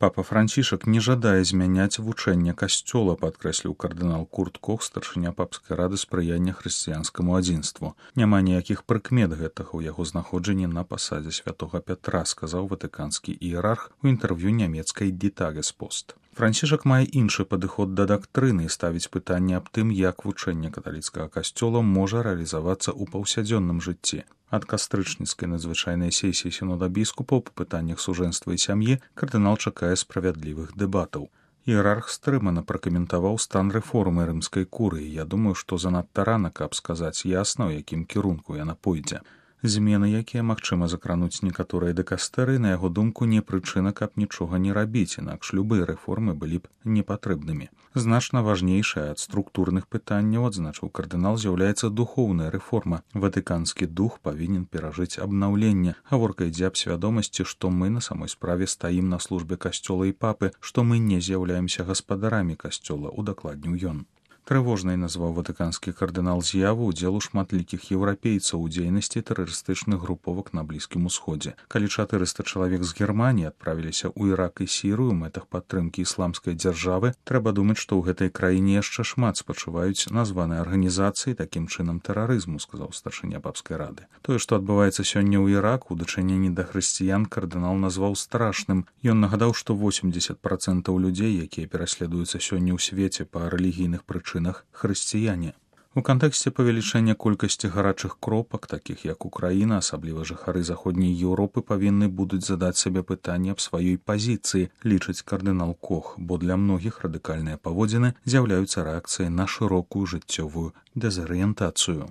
Папа Францішак не жадае змяняць вучэнне касцёла, падкрэсліў кардынал Курт Кох, старшыня папскай рады спрыяння хрысціянскаму адзінству. Няма ніякіх прыкмет гэтага ў яго знаходжанні на пасадзе святога Пятра, сказаў ватыканскі іерарх у інтэрв'ю нямецкай Die Tagespost. Францішак мае іншы падыход да дактрыны і ставіць пытанне аб тым, як вучэнне каталіцкага касцёла можа рэалізавацца ў паўсядзённым жыцці. Ад кастрычніцкай надзвычайнай сесіі сінода біскупаў па пытаннях сужэнства і сям'і кардынал чакае справядлівых дэбатаў. Іерарх стрымана пракаментаваў стан рэформы рымскай курыі. Я думаю, што занадта рана, каб сказаць ясна, у якім кірунку яна пойдзе. Змены, якія магчыма закрануць некаторыя дэкастэры, на яго думку, не прычына, каб нічога не рабіць, інакш любыя рэформы былі б непатрэбнымі. Значна важнейшая ад структурных пытанняў, адзначыў кардынал, з'яўляецца духоўная рэформа. Ватыканскі дух павінен перажыць абнаўленне. Гаворка ідзе аб свядомасці, што мы на самой справе стаім на службе касцёла і папы, што мы не з'яўляемся гаспадарамі касцёла, удакладніў ён. Трывожнай назваў ватыканскі кардынал з'яву ўдзелу шматлікіх еўрапейцаў у дзейнасці тэрарыстычных груповак на Блізкім Усходзе. Калі 400 чалавек з Германіі адправіліся ў Ірак і Сірыю ў мэтах падтрымкі ісламскай дзяржавы, трэба думаць, што ў гэтай краіне яшчэ шмат спачуваюць названыя арганізацыі такім чынам тэрарызму, сказаў старшыня папскай рады. Тое, што адбываецца сёння ў Іраку ў дачыненні да хрысціян, кардынал назваў страшным. Ён нагадаў, што 80% людзей, якія пераследуюцца сёння ў свеце па рэлігійных прычынах, хрысціяне. У кантэксце павелічэння колькасці гарачых кропак, такіх як Украіна, асабліва жыхары заходняй Еўропы, павінны будуць задаць сабе пытанне аб сваёй пазіцыі, лічыць кардынал Кох, бо для многіх радыкальныя паводзіны з'яўляюцца рэакцыяй на шырокую жыццёвую дэзарыентацыю.